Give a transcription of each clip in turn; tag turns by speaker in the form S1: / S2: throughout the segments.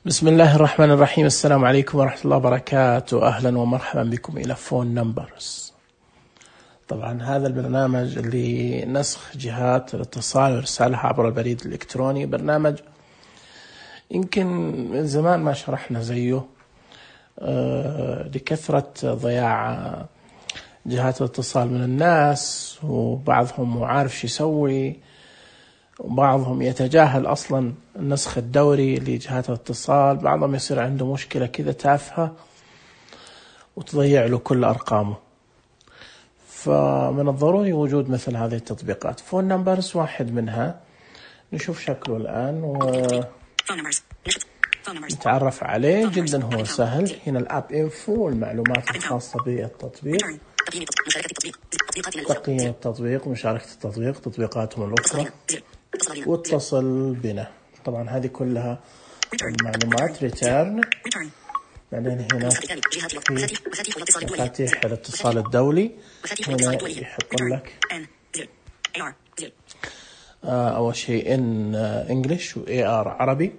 S1: بسم الله الرحمن الرحيم. السلام عليكم ورحمة الله وبركاته. أهلا ومرحبا بكم إلى فون نمبرز. طبعا هذا البرنامج اللي نسخ جهات الاتصال وإرسالها عبر البريد الإلكتروني، برنامج يمكن من زمان ما شرحنا زيه لكثرة ضياع جهات الاتصال من الناس، وبعضهم مو عارف شو يسوي، وبعضهم يتجاهل أصلا النسخ الدوري لجهات الاتصال. بعضهم يصير عنده مشكلة كذا تافهة وتضيع له كل أرقامه. فمن الضروري وجود مثل هذه التطبيقات. فون نمبرز واحد منها، نشوف شكله الآن ونتعرف عليه. جدا هو سهل. هنا الأب إنفو والمعلومات الخاصة بالتطبيق، تقييم التطبيق ومشاركة التطبيق، تطبيقاتهم الأخرى، واتصل بنا. طبعا هذه كلها المعلومات. ريتيرن. بعدين هنا في مفاتيح الاتصال الدولي. هنا يحط لك أول شيء إن إنجليش وإي آر عربي.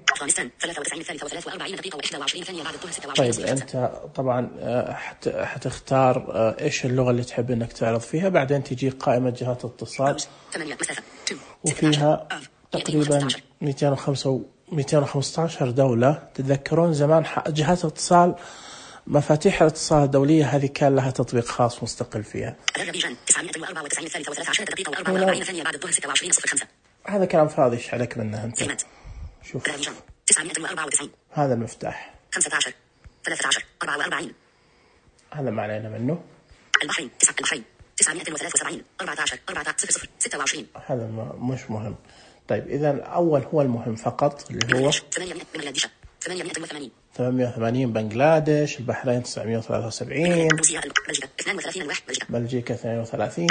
S1: طيب أنت طبعا حتختار إيش اللغة اللي تحب إنك تعرض فيها. بعدين تجي قائمة جهات الاتصال وفيها تقريبا 215 دولة. تتذكرون زمان جهات الاتصال، مفاتيح الاتصال الدولية هذه كان لها تطبيق خاص مستقل فيها. هذا كلام فاضي، ايش عليك منه انت؟ شوف هذا المفتاح 15 13 44. هذا ما علينا منه. البحرين 973 14 14 26. هذا مش مهم. طيب إذا الأول هو المهم فقط، اللي هو 880 بنغلاديش. البحرين 973. بلجيكا 32.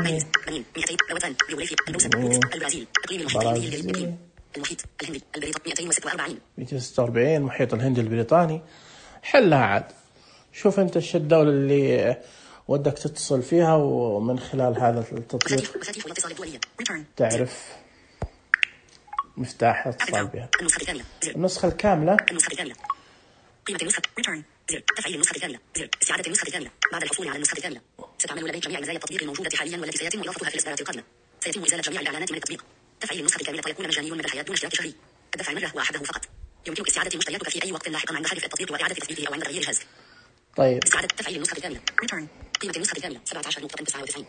S1: البرازيل المحيط الهندي البريطاني 246. المحيط الهندي البريطاني. حلها عاد. شوف انت ايش الدولة اللي ودك تتصل فيها، ومن خلال هذا التطبيق تعرف مفتاح اتصال بها. النسخة الكاملة. قيمة النسخة ريتيرن تفعيل النسخة الكاملة استعادة النسخة الكاملة بعد الحصول على النسخة الكاملة. ستعمل لديك جميع مزايا التطبيق الموجودة حاليا والتي سيتم إضافتها في الإصدارات القادمة. سيتم إزالة جميع الإعلانات من التطبيق. تفعيل النسخة الكاملة ويكون مجاني مدى الحياة دون اشتراك شهري. الدفع مرة وحده فقط. يمكنك استعادة مشترياتك في أي وقت لاحقا عند حذف التطبيق وإعادة تثبيته أو عند تغيير جهازك. طيب استعادة تفعيل النسخة الكاملة ريتيرن قيمة النسخة الكاملة 17.99.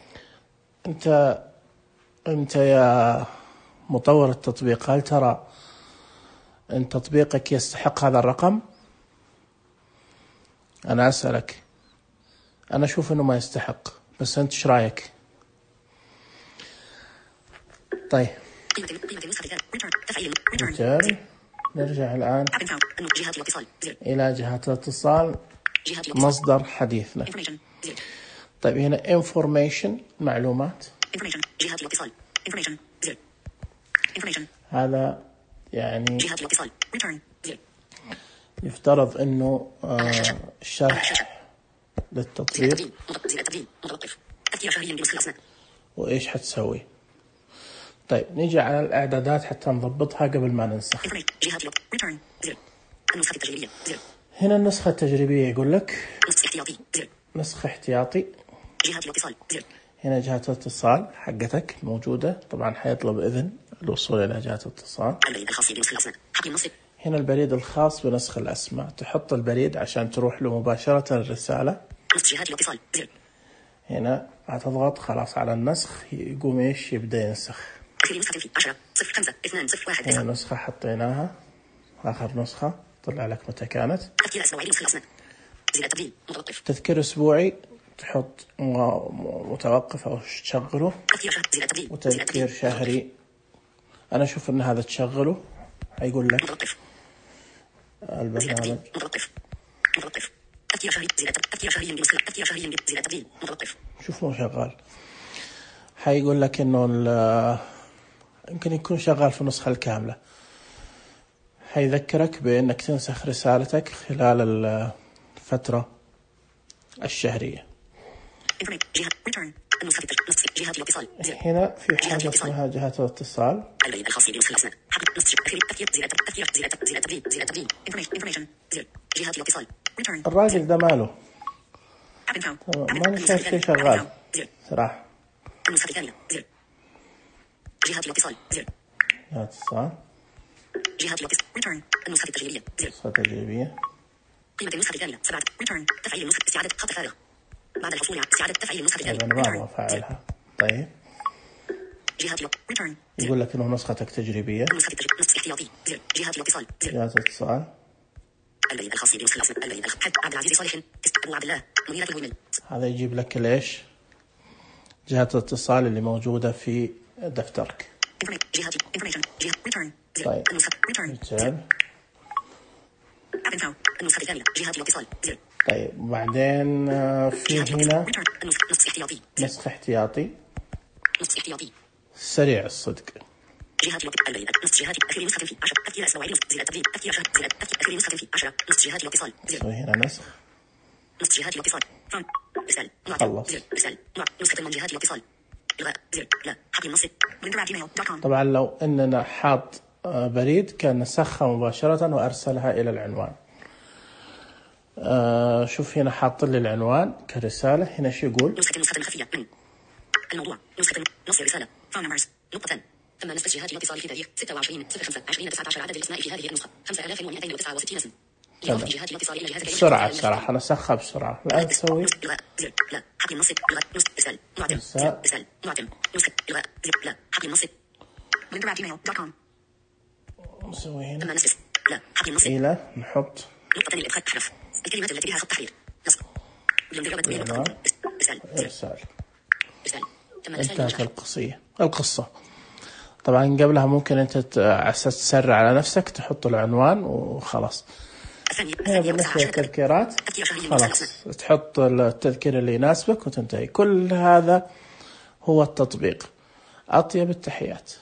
S1: أنت يا مطور التطبيق، هل ترى أن تطبيقك يستحق هذا الرقم؟ أنا أسألك. أنا أشوف أنه ما يستحق، بس أنت إيش رأيك؟ طيب نرجع الآن إلى جهات الاتصال، مصدر حديثنا. طيب هنا information معلومات. جهات الاتصال هذا يعني يفترض انه الشرح للتطبيق وايش حتسوي. طيب نيجي على الاعدادات حتى نضبطها قبل ما ننسخ. هنا النسخة التجريبية يقول لك نسخ احتياطي. هنا جهات الاتصال حقتك موجودة. طبعا حيطلب إذن الوصول إلى جهات الاتصال. هنا البريد الخاص بنسخ الأسماء. تحط البريد عشان تروح له مباشرة الرسالة. هنا هتضغط خلاص على النسخ، يقوم إيش يبدأ ينسخ. هنا نسخة حطيناها، آخر نسخة طلع لك متى كانت. تذكير أسبوعي تحط متوقف أو تشغله. وتذكير شهري أنا أشوف أن هذا تشغله، هيقول لك البرنامج شوف مو شغال. هيقول لك إنه يمكن يكون شغال في النسخة الكاملة. هيذكرك بأنك تنسخ رسالتك خلال الفترة الشهرية. هنا في حاجة اسمها جهات الاتصال. الراجل ده ماله؟ ما شايف شيء شغال صراحة.
S2: النسخة الثانية زر جهات الاتصال زر
S1: جهات الاتصال
S2: جهات الاتصال ريتيرن النسخة التجريبية زر
S1: نسخة تجريبية
S2: قيمة النسخة الثانية 7 ريتيرن تفعيل النسخة استعادة خط فارغ بعد الحصول على استعادة تفعيل النسخة الثانية
S1: أنا ما أفعلها. طيب
S2: جهات ريتيرن
S1: يقول لك إنه نسختك تجريبية.
S2: النسخة التجريبية نسخ احتياطي زر جهات الاتصال زر
S1: جهات الاتصال
S2: البريد الخاص بنسخ الأصل البريد الخاص عبد العزيز صالح أبو عبد الله منيرة الهويمل.
S1: هذا يجيب لك ليش جهات الاتصال اللي موجودة في دفترك.
S2: جهات ريتيرن
S1: طيب
S2: النسخة ريتيرن النسخة الثانية جهات الاتصال زر.
S1: طيب وبعدين في هنا
S2: نسخ احتياطي
S1: نسخ احتياطي
S2: نسخ احتياطي
S1: سريع الصدق.
S2: جهات البريد نسخ جهات أخير نسخة في 10 تذكير اسم موعد زر التدريب تذكير شهر زر أخير نسخة في 10 نسخ جهات الاتصال زر.
S1: هنا نسخ
S2: جهات الاتصال ارسال
S1: خلص.
S2: ارسال نسخة من جهات الاتصال الغاء زر لا حقل النص بلندر@gmail.com.
S1: طبعا لو اننا حاط بريد كان نسخها مباشرة وارسلها الى العنوان. شوف هنا حاط لي العنوان كرسالة. هنا شو يقول؟
S2: نسخة خفية من الموضوع نسخة نص الرسالة phone numbers نقطتان. تم نسخ جهات الاتصال في تاريخ 26/05/2019 عدد الاسماء في هذه النسخة 5269 اسم. لرفع جهات الاتصال الى جهازك
S1: بسرعة بصراحة نسخها بسرعة. لا تسوي
S2: زر لا حقل النص نسخ ارسال معتم ارسال معتم نسخة الغاء زر لا حقل النص bلندر@gmail.com.
S1: نسوي هنا
S2: تم نسخ لا حقل النص
S1: إلى نحط
S2: نقطة لإدخال حرف الكلمات التي بها خط تحرير نصب
S1: إرسال. انتهت القصة. طبعا قبلها ممكن أنت عساس تسرع على نفسك تحط العنوان وخلاص. هنا بالنسبة للتذكيرات خلاص تحط التذكير اللي يناسبك وتنتهي. كل هذا هو التطبيق. أطيب التحيات.